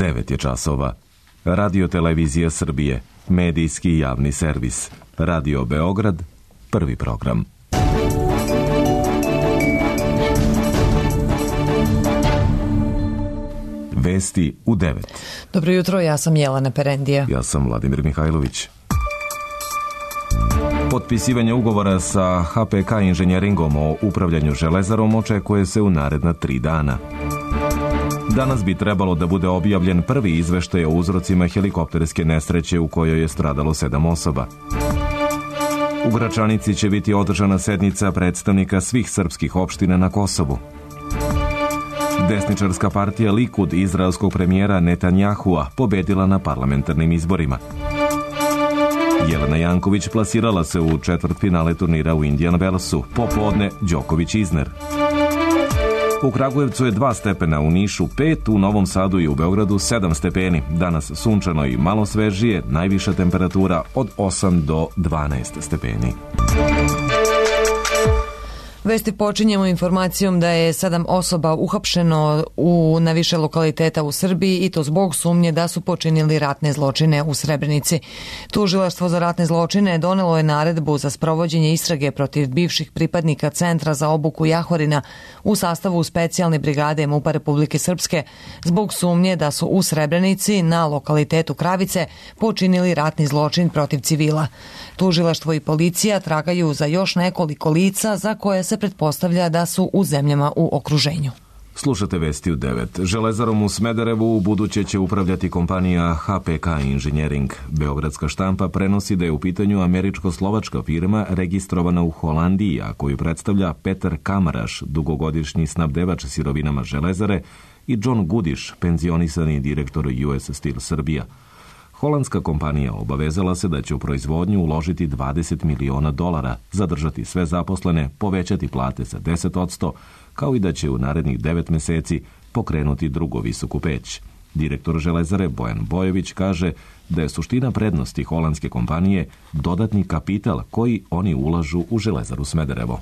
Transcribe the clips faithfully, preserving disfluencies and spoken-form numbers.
devet je časova. Radio Televizija Srbije, medijski javni servis. Radio Beograd, prvi program. Vesti u devet. Dobro jutro, ja sam Jelena Perendija. Ja sam Vladimir Mihajlović. Potpisivanje ugovora sa H P K inženjeringom o upravljanju železarom očekuje se u naredna tri dana. Danas bi trebalo da bude objavljen prvi izveštaj o uzrocima helikopterske nesreće u kojoj je stradalo sedam osoba. U Gračanici će biti održana sednica predstavnika svih srpskih opština na Kosovu. Desničarska partija Likud izraelskog premijera Netanjahua pobedila na parlamentarnim izborima. Jelena Janković plasirala se u četvrtfinale turnira u Indian Wellsu, popodne Đoković-Izner. U Kragujevcu je dva stepena, u Nišu pet, u Novom Sadu i u Beogradu sedam stepeni. Danas sunčano i malo svežije, najviša temperatura od osam do dvanaest stepeni. Vesti počinjemo informacijom da je sedam osoba uhapšeno u, na više lokaliteta u Srbiji i to zbog sumnje da su počinili ratne zločine u Srebrenici. Tužilaštvo za ratne zločine donelo je naredbu za sprovođenje istrage protiv bivših pripadnika Centra za obuku Jahorina u sastavu specijalne brigade MUP-a Republike Srpske zbog sumnje da su u Srebrenici na lokalitetu Kravice počinili ratni zločin protiv civila. Tužilaštvo i policija tragaju za još nekoliko lica za koje se pretpostavlja da su u zemljama u okruženju. Slušate vesti u devet. Železarom u Smederevu u buduće će upravljati kompanija H P K Inženjering. Beogradska štampa prenosi da je u pitanju američko-slovačka firma registrovana u Holandiji, a koju predstavlja Petar Kamaraš, dugogodišnji snabdevač sirovinama železare, i John Gudiš, penzionisani direktor U S Steel Srbija. Holandska kompanija obavezala se da će u proizvodnju uložiti dvadeset miliona dolara, zadržati sve zaposlene, povećati plate za deset posto, kao i da će u narednih devet meseci pokrenuti drugu visoku peć. Direktor Železare Bojan Bojović kaže da je suština prednosti holandske kompanije dodatni kapital koji oni ulažu u Železaru Smederevo.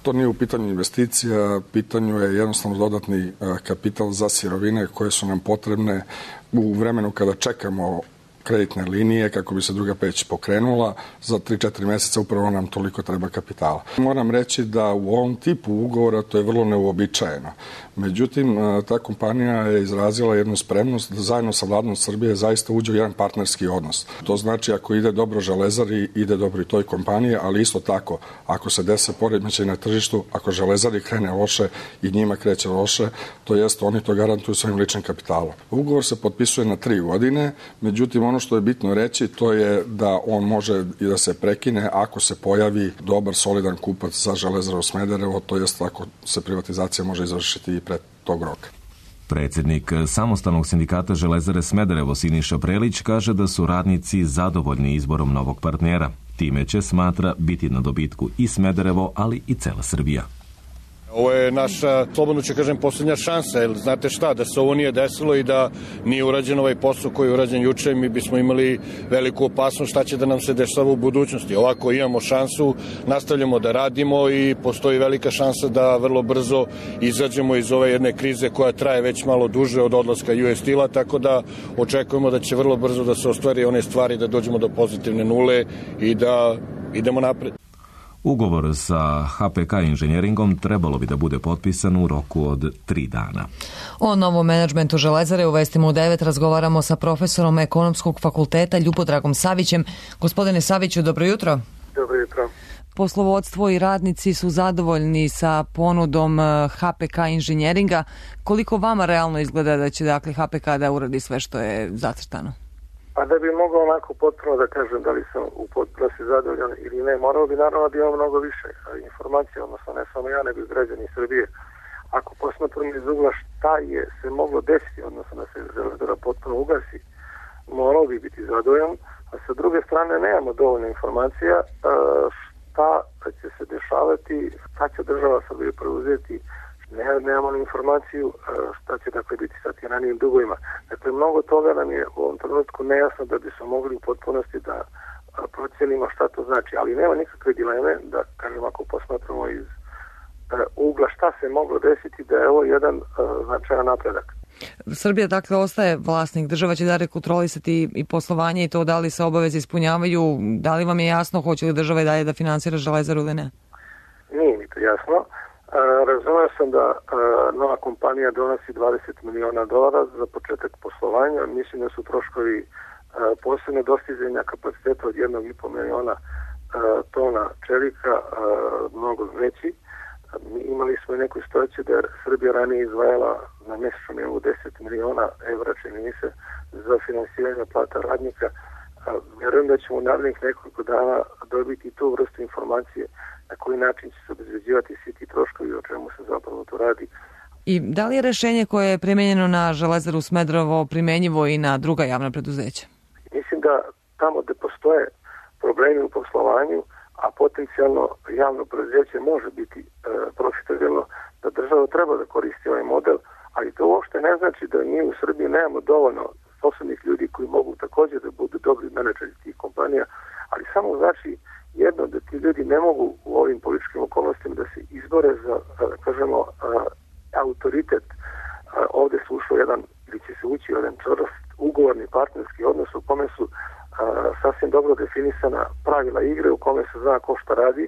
To nije u pitanju investicija, pitanju je jednostavno dodatni kapital za sirovine koje su nam potrebne u vremenu kada čekamo kreditne linije kako bi se druga peć pokrenula. Za tri četiri meseca upravo nam toliko treba kapitala. Moram reći da u ovom tipu ugovora to je vrlo neuobičajeno. Međutim, ta kompanija je izrazila jednu spremnost da zajedno sa vladom Srbije zaista uđe u jedan partnerski odnos. To znači ako ide dobro Železari, ide dobro i toj kompaniji, ali isto tako ako se dese poremećaj na tržištu, ako Železari krene loše i njima kreće loše, to jest oni to garantuju svojim ličnim kapitalom. Ugovor se potpisuje na tri godine, međutim ono što je bitno reći to je da on može i da se prekine ako se pojavi dobar, solidan kupac za Železaru Smederevo, to jest ako se privatizacija može izvršiti i pred tog roka. Predsjednik Samostalnog sindikata Železare Smederevo Siniša Prelić kaže da su radnici zadovoljni izborom novog partnera. Time će, smatra, biti na dobitku i Smederevo, ali i cela Srbija. Ovo je naša, slobodno ću kažem, posljednja šansa, jer znate šta, da se ovo nije desilo i da nije urađen ovaj posao koji je urađen juče, mi bismo imali veliku opasnost šta će da nam se dešava u budućnosti. Ovako imamo šansu, nastavljamo da radimo i postoji velika šansa da vrlo brzo izađemo iz ove jedne krize koja traje već malo duže od odlaska U S Steel-a, tako da očekujemo da će vrlo brzo da se ostvari one stvari, da dođemo do pozitivne nule i da idemo napred. Ugovor sa H P K inženjeringom trebalo bi da bude potpisan u roku od tri dana. O novom menadžmentu Železare u vestima u devet razgovaramo sa profesorom Ekonomskog fakulteta Ljubodragom Savićem. Gospodine Saviću, dobro jutro. Dobro jutro. Poslovodstvo i radnici su zadovoljni sa ponudom H P K inženjeringa. Koliko vama realno izgleda da će dakle H P K da uradi sve što je zacrtano? Pa da bi mogao onako potpuno da kažem da li sam u potpunosti zadovoljan ili ne, morao bi naravno da imamo mnogo više informacija, odnosno ne samo ja, nego i građani Srbije. Ako posmatramo iz ugla šta je se moglo desiti, odnosno da se Železara potpuno ugasi, morao bi biti zadovoljan, a sa druge strane nemamo dovoljno informacija šta će se dešavati, šta će država Srbije preuzeti. Ne, nemamo informaciju šta će dakle biti sa tim ranijim dugovima. Dakle, mnogo toga nam je u ovom trenutku nejasno da bi smo mogli u potpunosti da procenimo šta to znači. Ali nema nikakve dileme da, kažem, ako posmatramo iz ugla šta se moglo desiti, da je ovo jedan značajan napredak. Srbija dakle ostaje vlasnik, država će da kontrolisati i poslovanje i to da li se obaveze ispunjavaju, da li vam je jasno hoće li država i dalje da finansira Železaru ili ne? Nije mi to jasno. Razumeo sam da nova kompanija donosi dvadeset miliona dolara za početak poslovanja. Mislim da su troškovi posebne dostizanja kapaciteta od jednog i po miliona tona čelika mnogo veći. Imali smo i neku situaciju da je Srbija ranije izdvajala na mjesečnom nivou deset miliona evra, čini mi se, za finansiranje plata radnika. Vjerujem da ćemo u narednih nekoliko dana dobiti tu vrstu informacije na koji način će se obezbeđivati svi ti troškovi, o čemu se zapravo to radi. I da li je rešenje koje je primenjeno na Železaru Smederevo primenjivo i na druga javna preduzeća? Mislim da tamo gde postoje problemi u poslovanju, a potencijalno javno preduzeće može biti e, profitabilno, da država treba da koristi ovaj model, ali to uopšte ne znači da mi u Srbiji nemamo dovoljno sposobnih ljudi koji mogu također da budu dobri menadžeri tih kompanija, ali samo znači jedno da ti ljudi ne mogu u ovim političkim okolnostima da se izbore za, da kažemo, a, autoritet. A, ovde se ušlo jedan, ili će se ući jedan čvrst ugovorni partnerski odnos u kome su a, sasvim dobro definisana pravila igre, u kome se zna ko šta radi,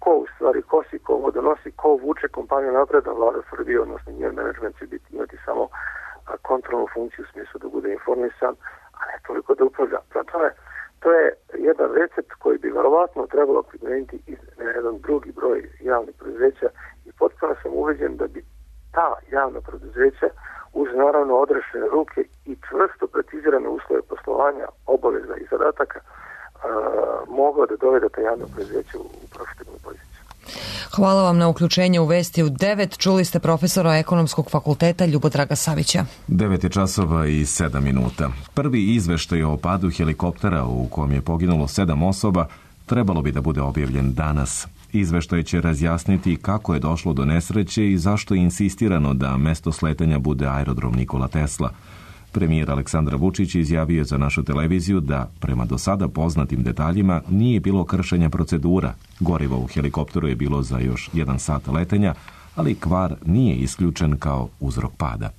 ko u stvari kosi, ko vodonosi, ko vuče kompaniju napred, a vlada Srbije, odnosno njen menadžment će biti, imati samo a, kontrolnu funkciju u smislu da bude informisan, a ne toliko da upravlja. Prema to je jedan recept koji bi verovatno trebalo primijeniti i na jedan drugi broj javnih preduzeća i potpuno sam uveđen da bi ta javna preduzeća uz naravno odrešene ruke i čvrsto precizirane uslove poslovanja, obaveza i zadataka mogla da dovede ta javna preduzeća u profitabilnu poziciju. Hvala vam na uključenje u Vesti u devet. Čuli ste profesora Ekonomskog fakulteta Ljubodraga Savića. devet je časova i sedam minuta. Prvi izveštaj o padu helikoptera u kom je poginulo sedam osoba trebalo bi da bude objavljen danas. Izveštaj će razjasniti kako je došlo do nesreće i zašto je insistirano da mesto sletanja bude aerodrom Nikola Tesla. Premijer Aleksandar Vučić izjavio za našu televiziju da, prema do sada poznatim detaljima, nije bilo kršenja procedura. Gorivo u helikopteru je bilo za još jedan sat letenja, ali kvar nije isključen kao uzrok pada.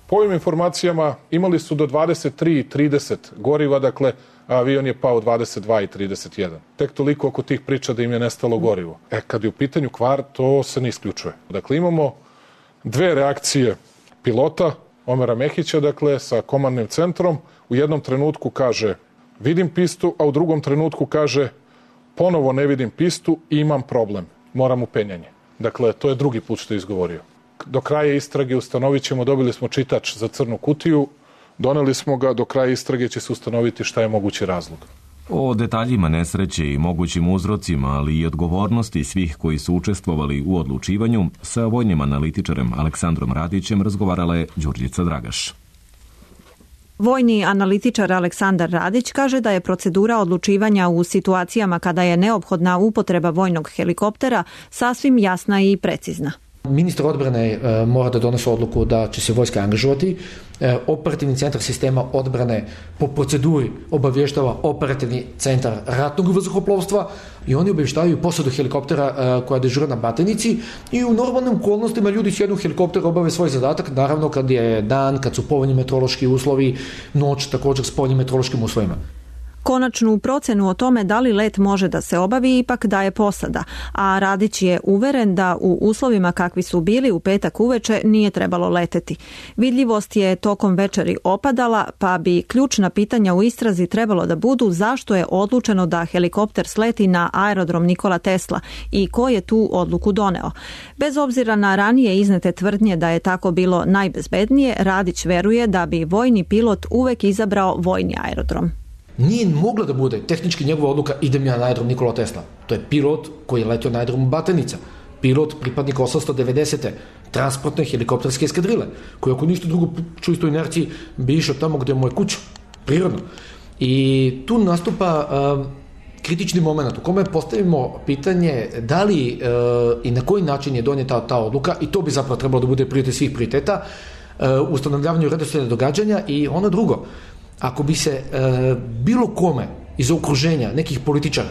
Po ovim informacijama imali su do dvadeset tri i trideset goriva, dakle avion je pao dvadeset dva i trideset jedan. Tek toliko oko tih priča da im je nestalo gorivo. E, kad je u pitanju kvar, to se ne isključuje. Dakle, imamo dve reakcije pilota, Omera Mehića, dakle, sa komandnim centrom. U jednom trenutku kaže vidim pistu, a u drugom trenutku kaže ponovo ne vidim pistu i imam problem, moram u penjanje. Dakle, to je drugi put što je izgovorio. Do kraja istrage ustanovit ćemo, dobili smo čitač za crnu kutiju, doneli smo ga, do kraja istrage će se ustanoviti šta je mogući razlog. O detaljima nesreće i mogućim uzrocima, ali i odgovornosti svih koji su učestvovali u odlučivanju, sa vojnim analitičarem Aleksandrom Radićem razgovarala je Đurđica Dragaš. Vojni analitičar Aleksandar Radić kaže da je procedura odlučivanja u situacijama kada je neophodna upotreba vojnog helikoptera sasvim jasna i precizna. Ministar odbrane e, mora da donese odluku da će se vojska angažovati. E, operativni centar sistema odbrane po proceduri obavještava operativni centar ratnog vazduhoplovstva i oni obavještavaju posadu helikoptera e, koja dežura na Batajnici i u normalnim okolnostima ljudi sjednu u helikopter, obave svoj zadatak, naravno kad je dan, kad su povoljni meteorološki uslovi, noć također s povoljnim meteorološkim uslovima. Konačnu procenu o tome da li let može da se obavi ipak daje posada, a Radić je uveren da u uslovima kakvi su bili u petak uveče nije trebalo leteti. Vidljivost je tokom večeri opadala, pa bi ključna pitanja u istrazi trebalo da budu zašto je odlučeno da helikopter sleti na aerodrom Nikola Tesla i ko je tu odluku doneo. Bez obzira na ranije iznete tvrdnje da je tako bilo najbezbednije, Radić veruje da bi vojni pilot uvek izabrao vojni aerodrom. Nije mogla da bude tehnički njegova odluka idem ja na aerodrom Nikola Tesla. To je pilot koji je letio na aerodromu Batajnica. Pilot pripadnik osamsto devedesete transportne helikopterske eskadrile, koji ako ništa drugo čusto inerciji bi išao tamo gde mu je kuća. Prirodno. I tu nastupa uh, kritični moment u kome postavimo pitanje da li uh, i na koji način je donijeta ta odluka i to bi zapravo trebalo da bude prioritet svih prioriteta uh, ustanovljavanju redoslijeda događanja i ono drugo. Ako bi se e, bilo kome iz okruženja nekih političara,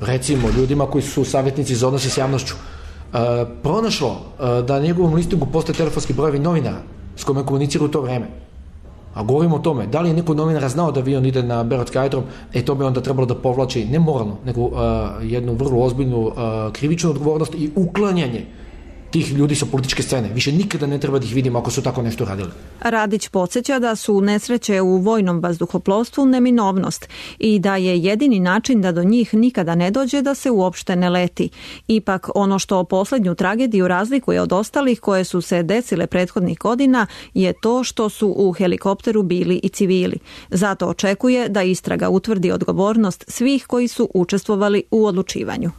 recimo ljudima koji su savjetnici za odnose s javnošću, e, pronašlo e, da na njegovom listingu postoje telefonski brojevi novinara s kojima komuniciraju to vreme. A govorimo o tome, da li je neko novinar znao da avion ide na Beogradski aerodrom, e to bi onda trebalo da povlači ne moralno, nego uh, jednu vrlo ozbiljnu uh, krivičnu odgovornost i uklanjanje tih ljudi sa političke scene. Više nikada ne treba da ih vidimo ako su tako nešto radili. Radić podsjeća da su nesreće u vojnom vazduhoplovstvu neminovnost i da je jedini način da do njih nikada ne dođe da se uopšte ne leti. Ipak ono što poslednju tragediju razlikuje od ostalih koje su se desile prethodnih godina je to što su u helikopteru bili i civili. Zato očekuje da istraga utvrdi odgovornost svih koji su učestvovali u odlučivanju.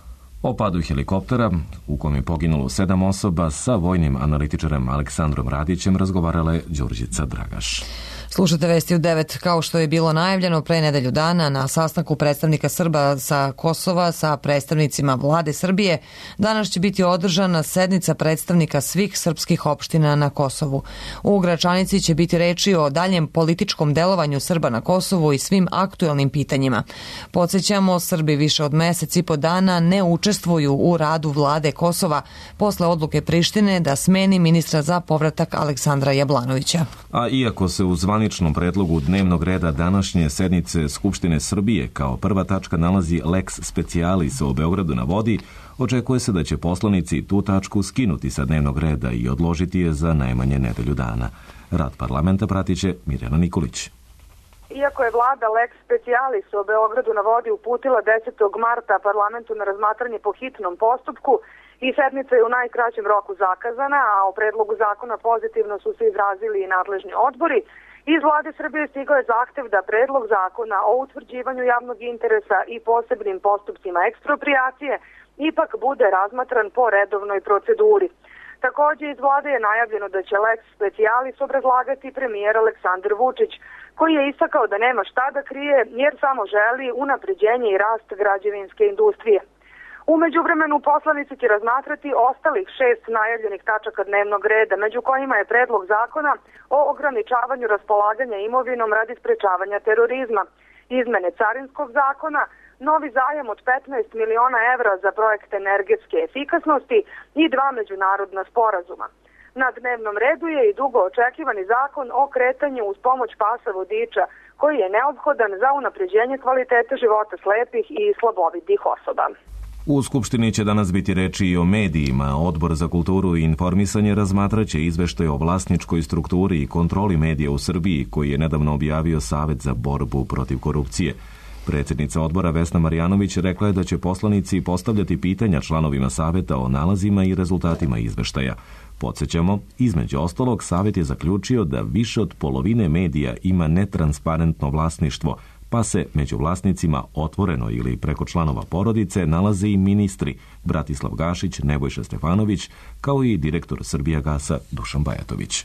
O padu helikoptera, u kom je poginulo sedam osoba, sa vojnim analitičarem Aleksandrom Radićem razgovarala je Đurđica Dragaš. Slušate Vesti u devet. Kao što je bilo najavljeno pre nedelju dana na sastanku predstavnika Srba sa Kosova sa predstavnicima vlade Srbije, danas će biti održana sednica predstavnika svih srpskih opština na Kosovu. U Gračanici će biti reči o daljem političkom delovanju Srba na Kosovu i svim aktuelnim pitanjima. Podsjećamo, Srbi više od mesec i po dana ne učestvuju u radu vlade Kosova posle odluke Prištine da smeni ministra za povratak Aleksandra Jablanovića. A iako se u zvaničnom predlogu dnevnog reda današnje sednice Skupštine Srbije kao prva tačka nalazi lex specialis o Beogradu na vodi, očekuje se da će poslanici tu tačku skinuti sa dnevnog reda i odložiti je za najmanje nedelju dana. Rad parlamenta pratit će Mirjana Nikolić. Iako je vlada lex specialis o Beogradu na vodi uputila desetog marta parlamentu na razmatranje po hitnom postupku i sednica je u najkraćem roku zakazana, a o predlogu zakona pozitivno su se izrazili i nadležni odbori, iz vlade Srbije stigao je zahtev da predlog zakona o utvrđivanju javnog interesa i posebnim postupcima eksproprijacije ipak bude razmatran po redovnoj proceduri. Takođe, iz vlade je najavljeno da će lex specialis obrazlagati premijer Aleksandar Vučić, koji je istakao da nema šta da krije jer samo želi unapređenje i rast građevinske industrije. U međuvremenu poslanici će razmatrati ostalih šest najavljenih tačaka dnevnog reda, među kojima je predlog zakona o ograničavanju raspolaganja imovinom radi sprečavanja terorizma, izmene carinskog zakona, novi zajam od petnaest miliona evra za projekt energetske efikasnosti i dva međunarodna sporazuma. Na dnevnom redu je i dugo očekivani zakon o kretanju uz pomoć pasa vodiča, koji je neophodan za unapređenje kvalitete života slepih i slabovidih osoba. U Skupštini će danas biti reči i o medijima. Odbor za kulturu i informisanje razmatraće izveštaj o vlasničkoj strukturi i kontroli medija u Srbiji, koji je nedavno objavio Savet za borbu protiv korupcije. Predsjednica odbora Vesna Marjanović rekla je da će poslanici postavljati pitanja članovima Saveta o nalazima i rezultatima izveštaja. Podsjećamo, između ostalog, Savet je zaključio da više od polovine medija ima netransparentno vlasništvo, pa se među vlasnicima otvoreno ili preko članova porodice nalaze i ministri Bratislav Gašić, Nebojša Stefanović, kao i direktor Srbijagasa Dušan Bajatović.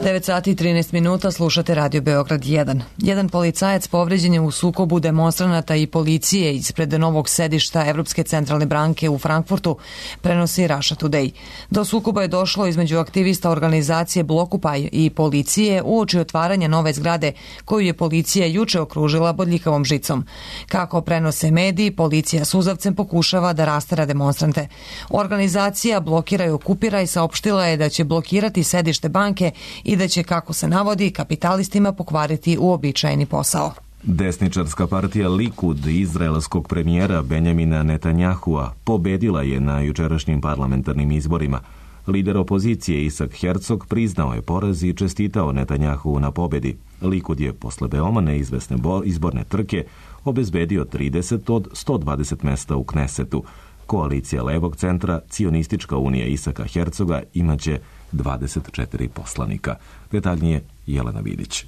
devet sati i trinaest minuta, slušate Radio Beograd jedan. Jedan policajac povređen je u sukobu demonstranata i policije ispred novog sedišta Evropske centralne banke u Frankfurtu, prenosi Russia Today. Do sukoba je došlo između aktivista organizacije Blokupaj i policije uoči otvaranja nove zgrade koju je policija juče okružila bodljikavom žicom. Kako prenose mediji, policija suzavcem pokušava da rastera demonstrante. Organizacija Blokira i okupira i saopštila je da će blokirati sedište banke i da će, kako se navodi, kapitalistima pokvariti uobičajeni posao. Desničarska partija Likud izraelskog premijera Benjamina Netanjahua pobedila je na jučerašnjim parlamentarnim izborima. Lider opozicije Isak Herzog priznao je poraz i čestitao Netanjahu na pobedi. Likud je posle veoma neizvesne izborne trke obezbedio trideset od sto dvadeset mesta u Knesetu. Koalicija levog centra, Cionistička unija Isaka Hercoga, imaće dvadeset četiri poslanika. Detaljnije Jelena Vidić.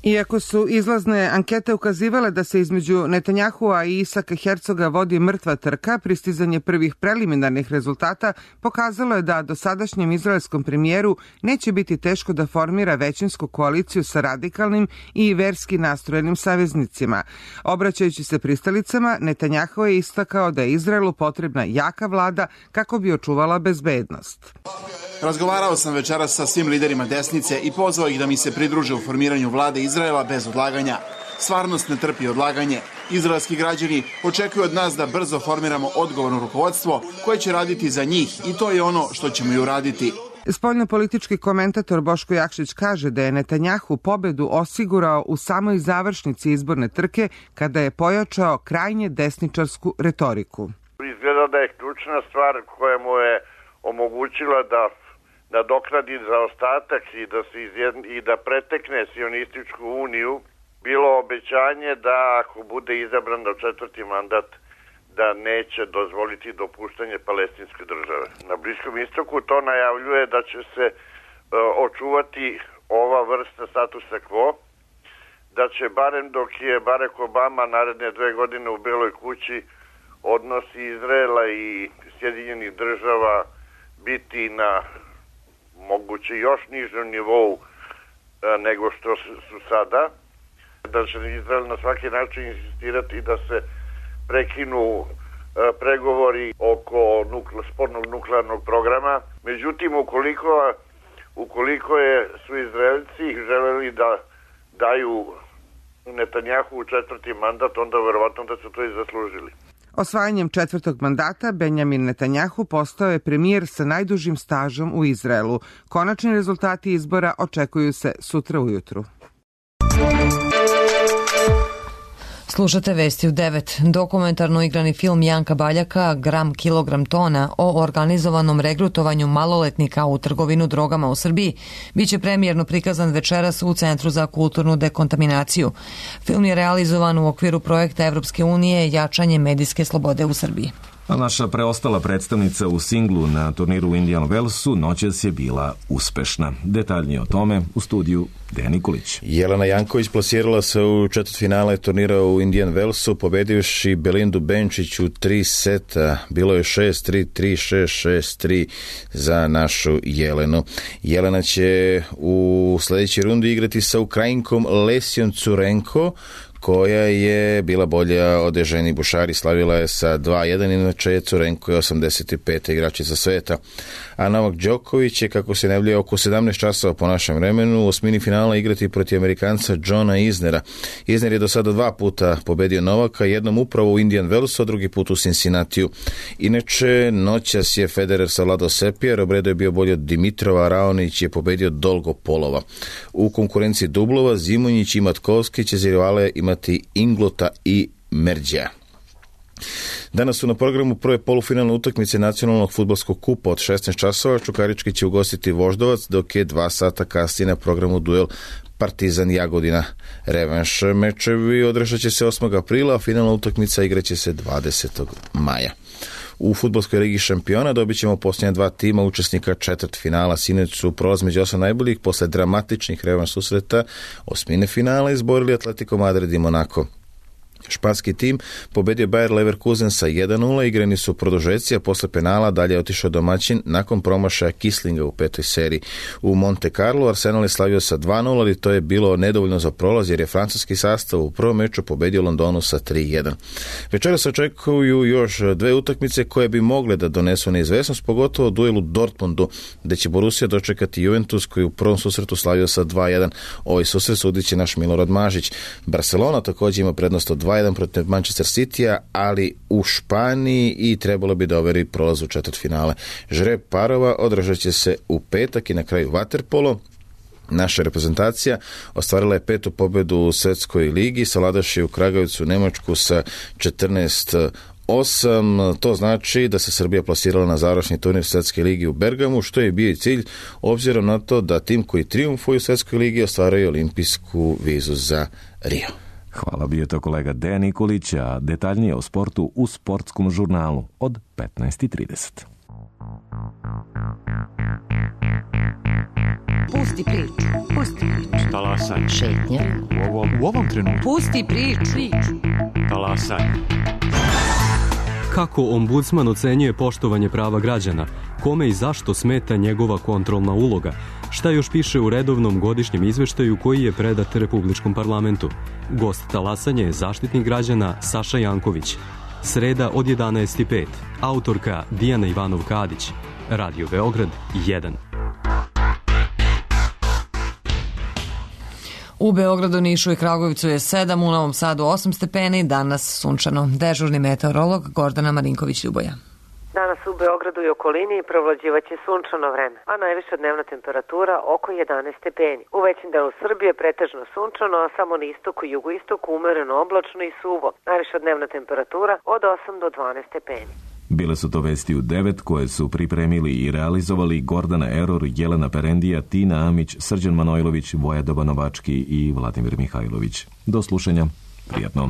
Iako su izlazne ankete ukazivale da se između Netanjahua i Isaka Hercoga vodi mrtva trka, pristizanje prvih preliminarnih rezultata pokazalo je da dosadašnjem izraelskom premijeru neće biti teško da formira većinsku koaliciju sa radikalnim i verski nastrojenim saveznicima. Obraćajući se pristalicama, Netanjahua je istakao da je Izraelu potrebna jaka vlada kako bi očuvala bezbednost. Razgovarao sam večeras sa svim liderima desnice i pozvao ih da mi se pridruže u formiranju vlade Izraela bez odlaganja. Stvarnost ne trpi odlaganje. Izraelski građani očekuju od nas da brzo formiramo odgovorno rukovodstvo koje će raditi za njih i to je ono što ćemo i uraditi. Spoljnopolitički komentator Boško Jakšić kaže da je Netanjahu pobedu osigurao u samoj završnici izborne trke kada je pojačao krajnje desničarsku retoriku. Izgleda da je ključna stvar koja mu je omogućila da nadoknadi zaostatak i da, se izjedn, i da pretekne sionističku uniju bilo obećanje da ako bude izabran na četvrti mandat da neće dozvoliti dopuštanje palestinske države. Na Bliskom istoku to najavljuje da će se e, očuvati ova vrsta statusa quo, da će barem dok je Barack Obama naredne dve godine u Beloj kući odnosi Izraela i Sjedinjenih država biti na moguće još nižem nivou e, nego što su sada, da će Izrael na svaki način insistirati da se prekinu e, pregovori oko nukle, spornog nuklearnog programa. Međutim, ukoliko, ukoliko je, su Izraelci želeli da daju Netanjahu u četvrti mandat, onda verovatno da su to i zaslužili. Osvajanjem četvrtog mandata Benjamin Netanjahu postao je premijer sa najdužim stažom u Izraelu. Konačni rezultati izbora očekuju se sutra ujutru. Slušate vesti u devet. Dokumentarno igrani film Janka Baljaka Gram kilogram tona o organizovanom regrutovanju maloletnika u trgovinu drogama u Srbiji biće premijerno prikazan večeras u Centru za kulturnu dekontaminaciju. Film je realizovan u okviru projekta Evropske unije Jačanje medijske slobode u Srbiji. A naša preostala predstavnica u singlu na turniru u Indian Wellsu noćas je bila uspešna. Detaljnije o tome u studiju Dejan Nikolić. Jelena Janković plasirala se u četvrtfinale turnira u Indian Wellsu, pobedivši Belindu Benčić u tri seta. Bilo je šest tri, tri šest, šest tri za našu Jelenu. Jelena će u sljedećoj rundi igrati sa Ukrajinkom Lesijom Curenko, koja je bila bolja od Eženi Bušari, slavila je sa dva jedan, inače Curenko je osamdeset peta igračica sveta. A Novak Đoković je, kako se najavljuje, oko sedamnaest časova po našem vremenu u osmini finala igrati protiv Amerikanca Johna Isnera. Isner je do sada dva puta pobedio Novaka, jednom upravo u Indian Wellsu, a drugi put u Cincinnatiju. Inače, noćas je Federer savladao Sepija, Robredo je bio bolji od Dimitrova, a Raonić je pobedio Dolgopolova. U konkurenciji dublova Zimonjić i Matkovski će za rivale imati Inglota i Merđa. Danas su na programu prve polufinalne utakmice nacionalnog fudbalskog kupa od šesnaest časova. Čukarički će ugostiti Voždovac, dok je dva sata kasnije na programu duel Partizan Jagodina. Revanš mečevi održat će se osmog aprila, a finalna utakmica igraće se dvadesetog maja. U fudbalskoj ligi šampiona dobit ćemo posljednja dva tima učesnika četvrt finala. Sinoć su prolaz među osam najboljih posle dramatičnih revanš susreta osmine finala izborili Atletico Madrid i Monaco. Španski tim pobedio Bayer Leverkusen sa jedan nula, igrani su produžeci, a posle penala dalje je otišao domaćin nakon promašaja Kislinga u petoj seriji. U Monte Carlo Arsenal je slavio sa dva nula, ali to je bilo nedovoljno za prolaz jer je francuski sastav u prvom meču pobedio Londonu sa tri jedan. Večera se očekuju još dve utakmice koje bi mogle da donesu neizvesnost, pogotovo duel u Dortmundu, gde će Borussia dočekati Juventus koji u prvom susretu slavio sa dva jedan. Ovaj susret sudit će naš Milorad Mažić. Barcelona također ima prednost od dva jedan protiv Manchester Citya, ali u Španiji i trebalo bi da overi prolaz u četvrtfinale. Žreb parova održat će se u petak i na kraju vaterpolo. Naša reprezentacija ostvarila je petu pobedu u Svetskoj ligi, savladavši u Kragujevcu Nemačku sa četrnaest osam. To znači da se Srbija plasirala na završni turnir Svetske ligi u Bergamu, što je bio i cilj, obzirom na to da tim koji trijumfuju u Svetskoj ligi ostvaraju olimpijsku vizu za Rio. Hvala, bio to kolega Dejan Nikolić, a detaljnije o sportu u sportskom žurnalu od petnaest i trideset. Pusti priču, pusti priču. Talasaj. Šetnja. U ovom, u ovom trenutku. Pusti priču. Talasaj. Kako ombudsman ocenjuje poštovanje prava građana? Kome i zašto smeta njegova kontrolna uloga? Šta još piše u redovnom godišnjem izveštaju koji je predat Republičkom parlamentu? Gost talasanja je zaštitnik građana Saša Janković. Sreda od jedanaest i pet. Autorka Dijana Ivanov-Kadić. Radio Beograd jedan. U Beogradu, Nišu i Kragujevcu je sedam, u Novom Sadu osam stepeni, danas sunčano. Dežurni meteorolog Gordana Marinković-Ljuboja. Danas u Beogradu i okolini provlađivaće sunčano vreme, a najviša dnevna temperatura oko jedanaest stepeni. U većem delu Srbije pretežno sunčano, a samo na istoku i jugoistoku umereno oblačno i suvo. Najviša dnevna temperatura od osam do dvanaest stepeni. Bile su to vesti u devet koje su pripremili i realizovali Gordana Eror, Jelena Perendija, Tina Amić, Srđan Manojlović, Voja Dobanovački i Vladimir Mihajlović. Do slušanja. Prijatno.